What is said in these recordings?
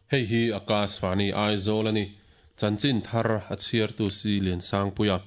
Hei hi Akashvani Aizawl a ni. Chanchin thar a chhiartu si Liansangpuia.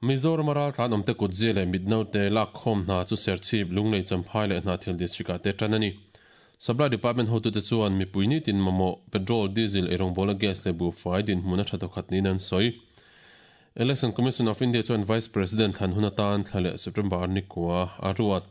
Mizoram a raltlan awmte kutzia leh mitnote lakkhawm hna chu Serchhip, Lunglei, Champhai leh Hnahthial District ah te tan a ni. Supply Department hotute chuan mipui nitin mamawh petrol, diesel, eirawngbawlna gas leh buhfai dinhmun a tha thawkhat niin an sawi. Election Commission of India chuan Vice President thlan hun atan thla leh September ni kua a ruat.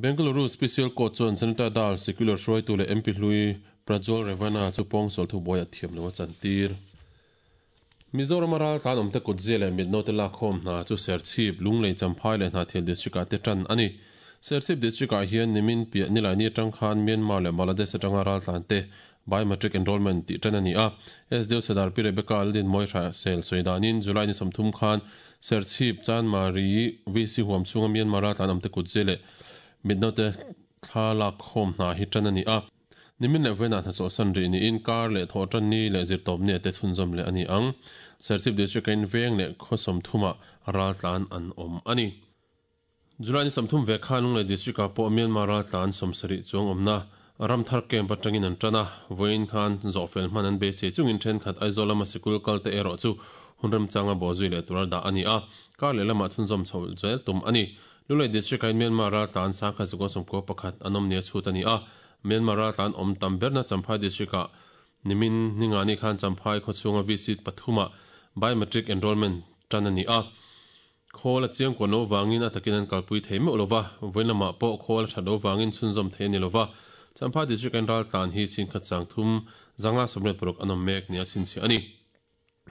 Bengaluru Special Court chuan Janata Dal Secular hruaitu leh MP hlui Prajwal Revanna chu pawngsual thubuai a thiam lo a chantir. Mizorama raltlan awmte kutzia leh mitnote lakkhawm hna chu Serchhip, Lunglei, Champhai leh Hnahthial District-ah te tan a ni. Serchhip District-ah hian nimin piah Nilaini atang khan Myanmar leh Bangladesh atanga raltlan te Biometric Enrolment tih tan a ni a. SDO Sadar Pi Rebecca Lalin Mawihra sel sawi danin July ni 30 khan Serchhip, Chanmari, VC huam chhunga Myanmar raltlan awmte kutzia leh mitnote thla lakkhawm hna hi tan a ni a. Nimin leh vawiinah hna chawhsan rih niin kar leh thawh tan ni leh zirtawp ni te chhunzawm leh a ni ang. Serchhip District in veng leh khaw 30 ah raltlan an awm a ni. July ni 30 ve khan Lunglei District ah pawh Myanmar raltlan 70 chuang awmna Ramthar camp atangin an tan a, vawiin khan zawhfel hman an beisei chungin thenkhat Aizawl lama sikul kal te erawh chu hun remchanga bawhzui leh tura dah a ni a, kar leh lamah chhunzawm chho zel tum a ni. Lunglei District ah Myanmar raltlan 1191 an awm nia chhut a ni a, Myanmar raltlan awm tam berna Champhai District ah nimin ningani khan Champhai khawchhunga VC pathuma biometric enrollment tan a ni a. Khawl a chiang kuan lo vangin a takin an kalpui thei meuh lova, vawiin lamah pawh khawl a that lo vangin chhunzawm thei a ni lova. Champhai District an raltlan hi 1336 an awm mek nia chhinchhiah a ni.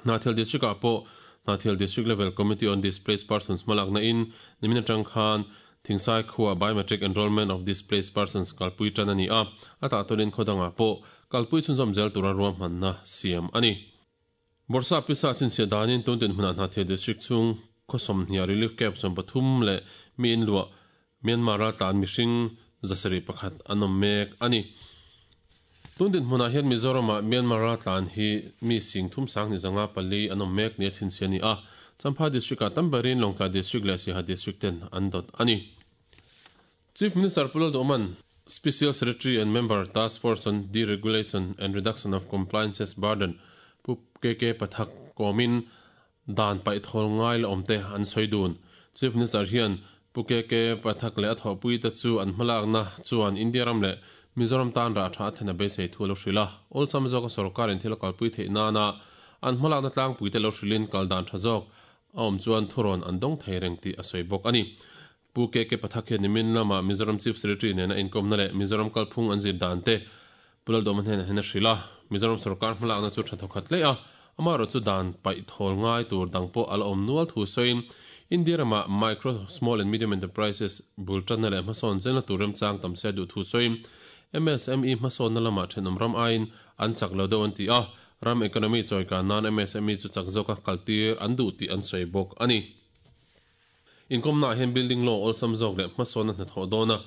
Hnahthial District ah pawh Hnahthial District Level Committee on Displaced Persons hmalakna in nimin atang khan Thingsai khuaa Biometric Enrollment of Displaced Persons kalpui tan a ni a, a tahtunin khawdangah pawh kalpui chhunzawm zel tura ruahmanna siam a ni. Bawrhsa pisa chhinchhiah danin tun tin hmunah Hnahthial District chhung khaw 20 relief camp 33 leh mi in luah Myanmar raltlan mihring 701 an awm mek a ni. Tun din hmunah hian Mizoramah Myanmar raltlan hi mi 3504 an awm mek nia chhinchhiah a ni a, Champhai District ah tam berin Lawngtlai District leh Siaha District ten an dawt a ni. Chief Minister Pu Lalduhman, Special Secretary and Member Task Force on Deregulation and Reduction of Compliances Burden Pu KK Pathak kawmin dan paih thawl ngai la awmte an sawi dun. Chief Minister hian Pu KK Pathak leh a thawhpui te chu an hmalakna chuan India ram leh Mizoram tan rah tha a thlen a beisei thu lo hrilh a. Awlsam zawka sorkar in thil a kalpui theih nana an hmalakna tlangpui te lo hrilhin kal dan tha zawk a awm chuan thurawn an dawng thei reng tih a sawi bawk a ni. Pu KK Pathak hian nimin lama Mizoram Chief Secretary nena inkawmna leh Mizoram kalphung an zir dan te Pu Lalduhma hnenah hian a hrilh a. Mizoram sorkar hmalakna chu tha thawkhat hle a, amaherawh chu dan paih thawl ngai tur dang pawh a la awm nual thu sawiin India ramah Micro, Small and Medium Enterprises bul tanna leh hmasawn zelna tur remchang tam se a duh thu sawiin MSME hmasawnna lamah thenawm ram aiin an chak lo deuh an ti a, ram economy chawikan nan MSME chu chak zawka kaltir an duh tih an sawi bawk a ni. Inkawmnaah hian building law awlsam zawk leh hmasawnna hnathawh dawna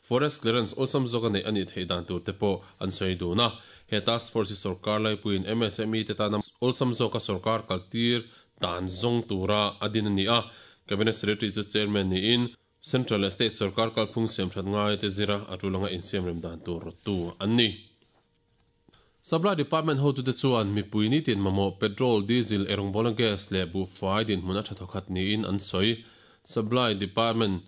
forest clearance awlsam zawka neih a nih theih dan tur te pawh an sawi dun a. He task force hi sorkar laipuiin MSME te tana awlsam zawka sorkar kaltir dan zawng tura a din a ni a. Cabinet Secretary chu chairman niin Central leh State sorkar kalphung siamthat ngai te zira a tulanga insiamrem dan tur rawttu an ni. Supply Department hotute chuan mipui nitin mamawh petrol, diesel, eirawngbawlna gas leh buhfai dinhmun a tha thawkhat niin an sawi. Supply Department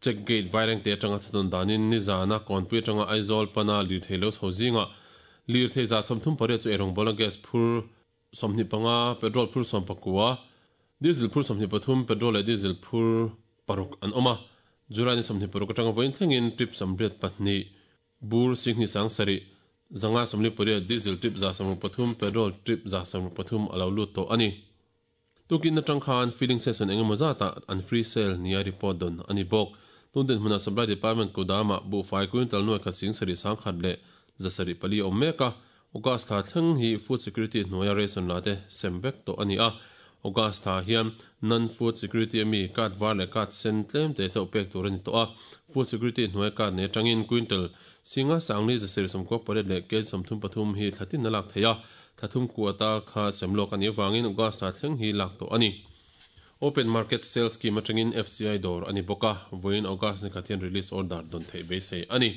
check gate vairengte atanga thutawn danin nizana kawnpui atanga Aizawl pana lirthei lo chho zingah lirthei 38 chu eirawngbawlna gas phur 25, petrol phur 19, diesel phur 23, petrol leh diesel phur 6 an awm a. July ni 26 atanga vawiin thlengin trip 82 bur 27,000 548 diesel trip 163, petrol trip 163 a lo lut tawh a ni. Tukin atang khan filling station engemaw zata an free sale nia report don a ni bawk. Tun din hmuna Supply Department kudama buhfai quintal 1,700 leh 704 awm mek a. August thla thleng hi food security hnuaia ration la te sem vek tawh a ni a. August thla hian non food security ami card var leh card sen tlem te chauh pek tur a ni tawh a. Food security hnuaia card nei atangin quintal 5,598 leh kg 33 hi thlatin a lak thei a. Thla thum kuata kha sem lawk a nih avangin August thla thleng hi lak tawh a ni. Open market sales scheme atangin FCI dawr a ni bawk a, vawiin August ni khat hian release order don theih beisei a ni.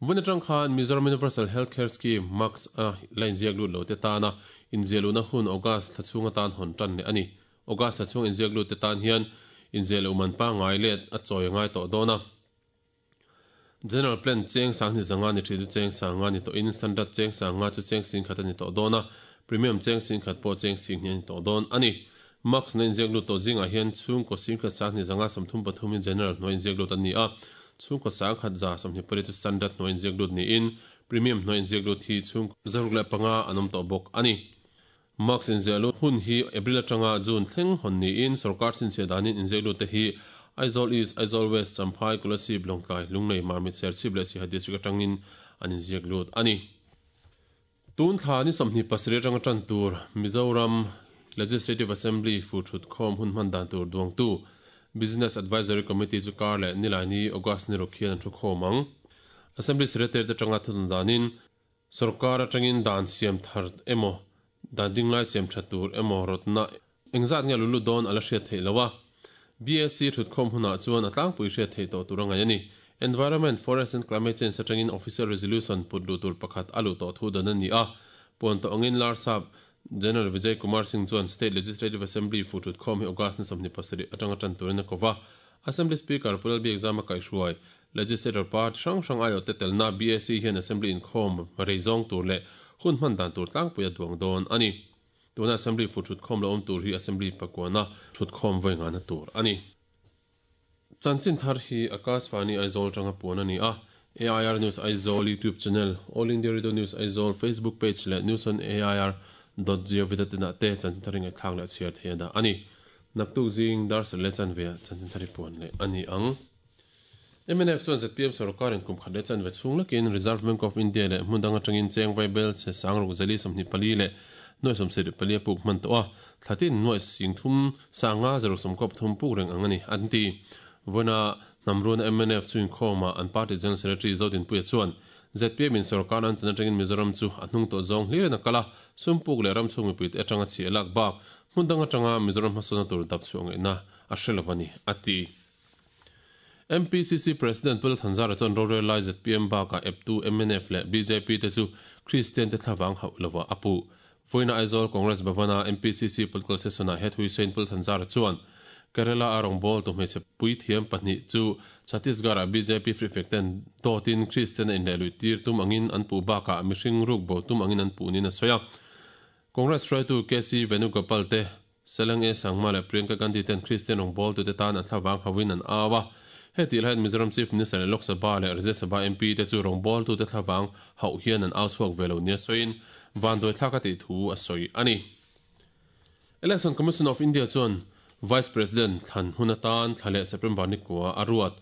Vun atang khan Mizoram Universal Health Care Scheme, MUHCS, a la inziak lut lo te tana inziah luhna hun August thla chhung atan hawn tan leh a ni. August thla chhung inziak lut te tan hian inziah loh man pangngai let a chawi a ngai tawh dawn a. General Plan cheng sanghnih zanga ni thin chu cheng sanga ni tawhin Standard cheng sanga chu cheng singkhat a ni tawh dawn a, Premium cheng singkhat pawh cheng singhnih a ni tawh dawn a ni. MUHCS na inziak lut tawh zingah hian chhungkaw singkhat sanghnih zanga 33 hi General hnuai inziak lut an ni a, chhungkaw 1128 chu Standard hnuai inziak lut niin Premium hnuai inziak lut hi chhungkaw 605 an awm tawh bawk a ni. MUHCS inziah lut hun hi April atanga June thleng hawn niin sorkar chhinchhiah danin inziak lut te hi Aizawl East, Aizawl West, Champhai, Kolasib, Lawngtlai, Lunglei, Mamit, Serchhip leh Siaha District atangin an inziak lut a ni. Tun thla ni 27 atanga tan tur Mizoram Legislative Assembly fu thut khawm hun hman dan tur duangtu Business Advisory Committee chu kar leh Nilaini August ni ruk hian an thu khawm ang. Assembly Secretary te atanga thutna danin Sorkar atangin dan siam thar emaw, dan dinglai siam tha tur emaw rawtna engzat nge lu lut dawn a la hriat theih lo a. BSc thutkhawm hunah chuan a tlangpui hriat theih tawh tur a ngaih a ni. Environment, Forest and Climate Change atangin Official Resolution put luh tur pakhat a luh tawh thu dan a ni a. Puan tawh angin Larsap General Vijay Kumar Singh chuan State Legislative Assembly fu thutkhawm hi August ni 27 atanga tan turin a ko va. Assembly Speaker Pu Lalbiakzama kaihhruai Legislator party hrang hrang aiawhte telna BAC hian Assembly inkhawm rei zawng tur leh hun hman dan tur tlangpui a duang dawn a ni. Tuna Assembly fu thutkhawm lo awm tur hi Assembly pakuana thutkhawm vawi ngahna tur a ni. Chanchin thar hi Akashvani Aizawl atanga puan a ni a, AIR News Aizawl YouTube channel, All India Radio News Aizawl Facebook page leh News on AIR dot gov dot in ah te chanchin thar hi ngaihthlak leh chhiar thei a dah a ni. Naktuk zing dar sarh leh chanve ah chanchin thar hi puan leh a ni ang. Mnf chuan zpm sorkarin kum khat leh chanve chhung lakin Reserve Bank of India leh hmun dang atangin cheng vaibel chhe sang ruk zali 24 leh nuai 74 a puk hman tawh a, thla tin nuai sing thum sanga zaruk sawmkaw pathum puk reng ang a ni, an ti. Vawiina hnamruana mnf chu inkhawmah an party General Secretary Zodinpuia chuan zpm in sorkar an chan atangin Mizoram chu a hnung tawh zawng hlirin a kal a, sum puk leh ram chhung mipuite atanga chhiah lak bak hmun dang atanga Mizoram hmasawnna tur dap chhuah ngaihna a hre lo a ni, a ti. MPCC President Pu Lalthanzara chuan rorel lai zpm bakah eptu mnf leh bjp te chu Kristian te thlavang hauh lovah a puh. Vawiina Aizawl Congress Bhavan-a MPCC Political Session-ah he Thuisain Pu Lalthanzara chuan Kerala a rawngbawltu hmeichhe puithiam pahnih chu Chhattisgarh-ah bjp prefect ten dawtin Kristian a inlehluih tir tum angin an puh bakah mihring rukbo tum angin an puh niin a sawi a. Congress hruaitu KC Venugopal te Seleng E. Sangma leh Priyanka Gandhi ten Kristian rawngbawltute tan an thlavang hauhin an au a. Hetih laiin Mizoram Chief Minister leh Lok Sabha leh Rajya Sabha MP te chu rawngbawltute thlavang hauh hian an au chhuak ve lo nia sawiin vanduai thlak a tih thu a sawi a ni. Election Commission of India chuan Vice President thlan hun atan thla leh September ni kua a ruat.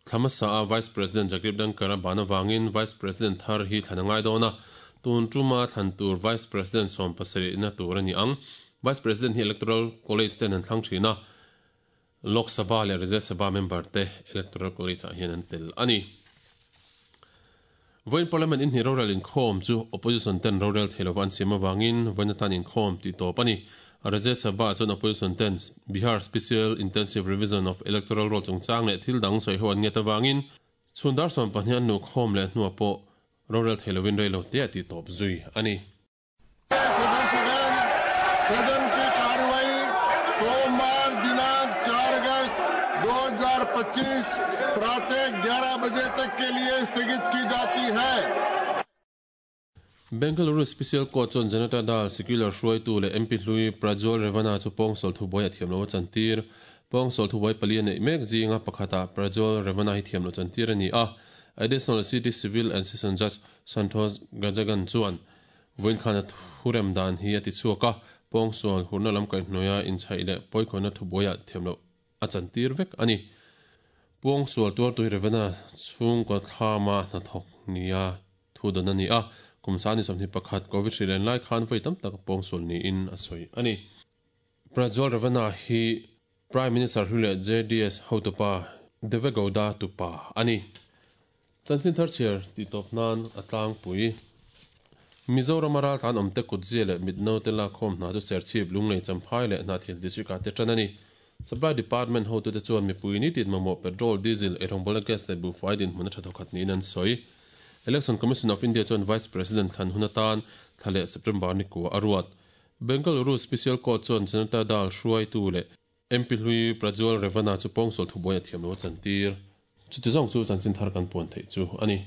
Thla hmasa a Vice President Jagdeep Dhankhar a ban avangin Vice President thar hi thlan a ngai dawn a, tun tuma thlan tur Vice President 70 na tur a ni ang. Vice President hi Electoral College ten an thlang thin a, Lok Sabha leh Rajya Sabha member te Electoral College ah hian an tel a ni. Vawiin Parliament inhnih rorel inkhawm chu Opposition ten rorel thei lova an siam avangin vawiin atan inkhawm tih tawp a ni. Rajya Sabha chuan Opposition ten Bihar Special Intensive Revision of Electoral Roll chungchang leh thil dang sawi ho an nget avangin chhun dar 12 an luhkhawm leh hnuah pawh rorel thei lovin rei lo te a tih tawp zui a ni. सदन की कार्रवाई सोमवार दिनांक 4 अगस्त 2025 प्रातः 11 बजे तक के लिए स्थगित की जाती है। Bengaluru Special Court chuan Janata Dal Secular hruaitu leh MP hlui Prajwal Revanna chu pawngsual thubuai a thiam lo a chantir. Pawngsual thubuai pali a neih mek zinga pakhatah Prajwal Revanna hi thiam lo chantir a ni a. Additional City Civil and Session Judge Santosh Gajagan chuan Vawiin khan a thurem dan hi a ti chhuak a, pawngsual hurna lam kaihhnuaia inchhaih leh pawikhawnna thubuaiah thiam loh a chantir vek a ni. Pawngsual tuartui Revena chhungkaw thlama hnathawk nia thu dawn a ni a, kum sani 21 Covid hri len lai khan vawi tam tak pawngsual niin a sawi a ni. Prajwal Revanna hi Prime Minister hlui leh JDS hotupa Deve Gowda tupa a ni. Chanchin thar chhiar tih tawp nan a tlangpui. Mizoram a raltlan awmte kutzia leh mitno te lakkhawm hna chu Serchhip, Lunglei, Champhai leh Hnahthial District ah te tan a ni. Supply Department hotute chuan mipui ni tin mamawh petrol, diesel, eirawngbawlna gas leh buhfai dinhmun a tha thawkhat niin an sawi. Election Commission of India chuan Vice President thlan hun atan thla leh September ni kua a ruat. Bengaluru Special Court chuan Janata Dal hruaitu leh MP hlui Prajwal Revanna chu pawngsual thubuai a thiam lo a chantir. Chuti zawng chu chanchin thar kan puan theih chu a ni.